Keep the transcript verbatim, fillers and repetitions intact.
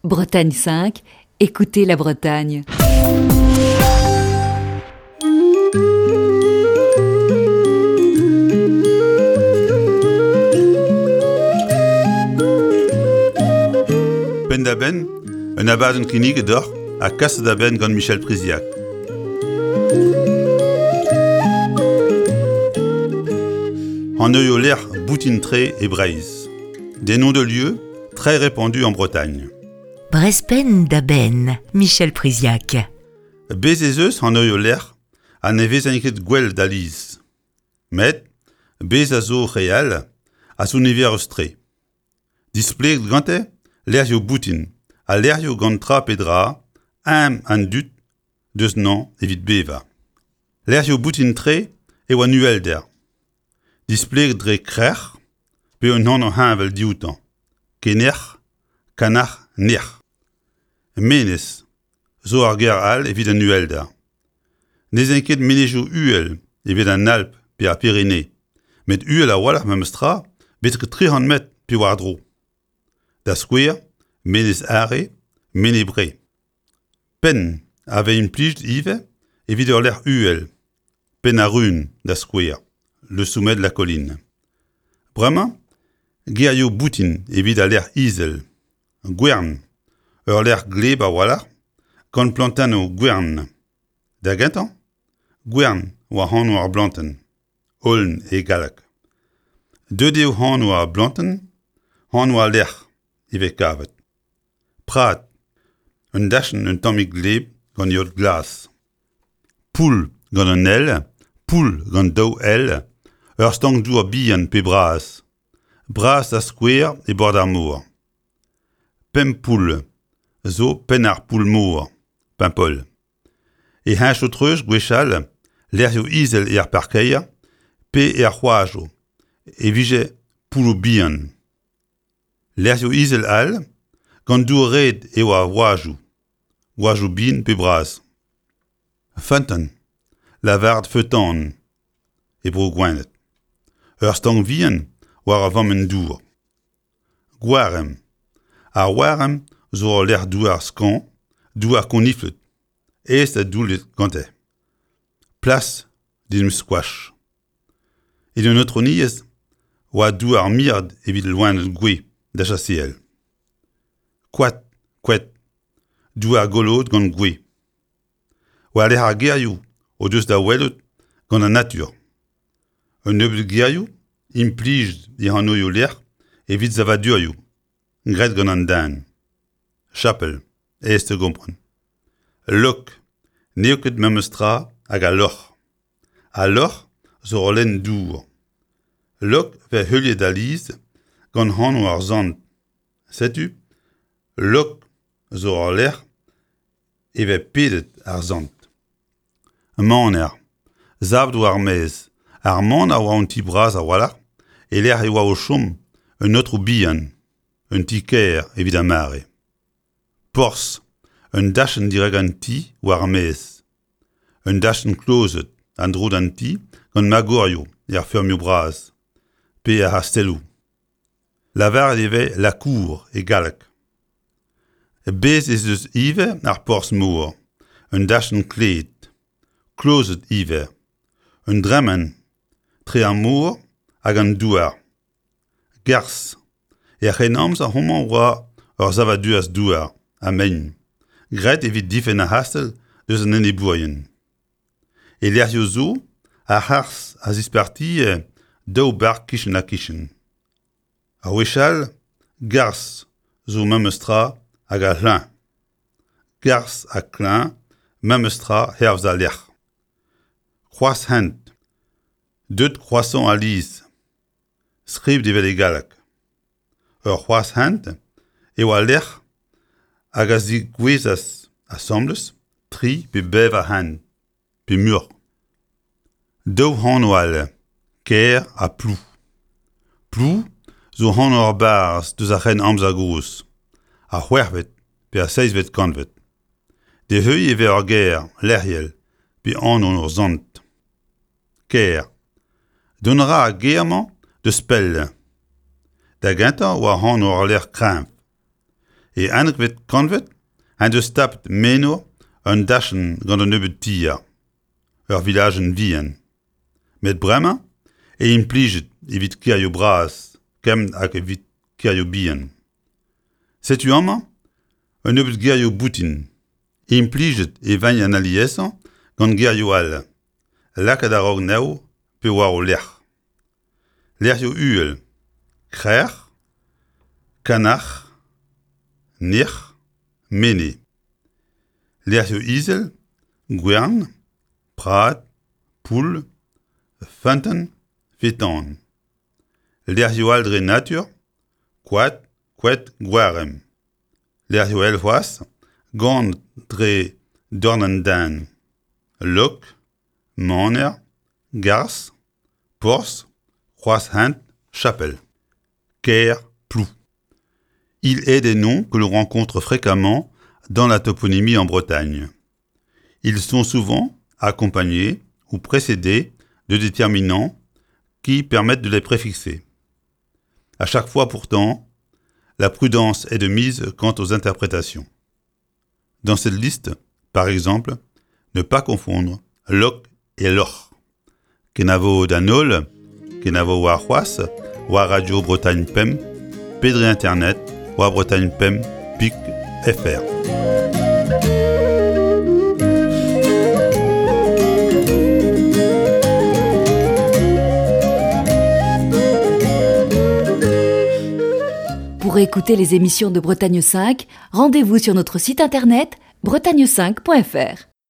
Bretagne cinq, écoutez la Bretagne. Penn-da-benn, un abadenn kinniget deoc'h ha kaset da benn gant Michel Priziac. Anv lec'h boutin-tre e Breizh. Des noms de lieux très répandus en Bretagne. Brezh Penn-da-Benn, Michel Priziac. Bez ez eus anv lec'h ha ne vezent ket gwell da liz. Met bez a zo re all a zo niverus-tre. Displeget gante lec'hioù boutin ha lec'hioù gant tra pe dra, am an dud deus nañ evit bevañ. Lec'hioù boutin-tre e oa uhelder. Displeget dre krec'h pe un anv heñvel dioutañ. Kenec'h, kanac'h, nec'h. Menez zo ar ger all evit an uhelder. N'ez int ket menezioù uhel evit an Alp pe ar Pyrénées, met uhel a-walc'h memes tra betek tri c'hant metr pe war-dro. Da skouer, Menez Are, Menez Bre. Penn a vez implijet ivez evit ur lec'h uhel, Penn ar Run, da skouer, le sommet de la colline. Bremañ, gerioù boutin evit al lec'h izel, gwern, ur lec'h gleb a-walc'h, gant plantennoù gwern. Da gentañ, gwern oa anv ar blantenn, aulne e galleg. Deuet eo anv ar blantenn, anv al lec'h e vez kavet. Prad, un dachenn un tammig gleb gant yeot glas. Poull gant un L, poull gant daou L, ur stank-dour bihan pe bras. Bras da skouer e bord ar mor. Pemp poull zo penn ar poull-mor, Paimpol. E heñchoù-treuz gwechall, lec'hioù izel er parkeier pe er c'hoajoù, e vije poulloù bihan. Lec'hioù izel all, gant dour-red eo ar oajoù, oajoù bihan pe bras. Feunteun, lavaret feutan, e bro Gwened. Ur stank vihan war ar vammenn dour. Gwaremm. Ar waremm zo ur lec'h douar skañv, douar koniflet, aes da doullet gante. Plas d'en em skoach. Evit an aotrouniezh oa douar miret evit loened gouez da chaseal. Koad, koad, douar goloet gant gwez. War-lerc'h ar gerioù o deus da welout gant an natur. Un nebeud gerioù implijet e anvioù lec'h evit savadurioù, graet gant an den. Chapel, aes da gompren. Lok, n'eo ket memes tra hag al loc'h. Al loc'h zo ur lenn dour. Lok vez heuliet alies gant anv ar sant. Setu, Lok zo ur lec'h e vez pedet ar sant. Maner, savet war ar maez. Ar maner a oa un ti bras a-walc'h, e lec'h e oa o chom un aotrou bihan, un ti-kêr evit ar mare. Porzh, un dachenn dirak an ti war ar maez. Un dachenn klozet en-dro d'an ti gant magorioù er feurmioù bras, pe ar c'hastelloù. Lavaret e vez la cour e galleg. Bez ez eus ivez ar porzh-mor, un dachenn klet, klozet ivez, un dremen tre ar mor hag an douar. Garzh, er c'hrennamzer homañ oa ur savadur douar ha mein, graet evit difenn ar c'hastell deus an enebourien. E lec'hioù zo, ar c'harzh a zispartie daou bark kichen-ha-kichen. Ar wech all, garzh zo memes tra hag ar c'hleñv. Garzh ha kleñv, memes tra hervez al lec'h. Kroaz-hent, deut croissant alies, skrivet evel e galleg. Ur c'hroaz-hent eo al lec'h hag a zigouezas asambles tri pe bevar hent, pe muioc'h. Daou anv all, Kêr ha Plou. Plou zo anv ur barzh deus ar c'hrenn-amzer gozh, ar c'hwec'hvet pe ar seizhvet kantved. D'e heuilh e vez ur ger lec'hiel pe anv ur sant. Kêr. Dont a ra ar ger-mañ deus pell. Da gentañ oa anv ur lec'h kreñv. E unekvet kantved en deus tapet meno un dachenn gant un nebeud tier, ur vilajenn vihan. Met bremañ e implijet evit kêrioù bras, kement hag evit kêrioù bihan. Setu amañ un nebeud gerioù boutin. Implijet e vint an aliesañ gant gerioù all. Lakaet a-raok anezho pe war o lerc'h. Lec'hioù uhel, Krec'h, Kanac'h, Nec'h, Mene. Lec'hioù izel, Gwern, Prad, Poull, Feunteun, Fetan. Lec'hioù all dre natur, Koad, Koad, Gwarem. Lec'hioù all c'hoazh, gant dre dorn an den. Lok, Maner, Garzh, Porzh, Kroaz-Hent, Chapel. Kêr, Plou. Il est des noms que l'on rencontre fréquemment dans la toponymie en Bretagne. Ils sont souvent accompagnés ou précédés de déterminants qui permettent de les préfixer. À chaque fois pourtant, la prudence est de mise quant aux interprétations. Dans cette liste, par exemple, ne pas confondre loc et loch. Kenavo d'an holl, kenavo warc'hoazh, war Radio Bretagne Pemp, pe dre internet, war Bretagne Pemp, pik F R. Pour écouter les émissions de Bretagne cinq, rendez-vous sur notre site internet bretagne cinq point F R.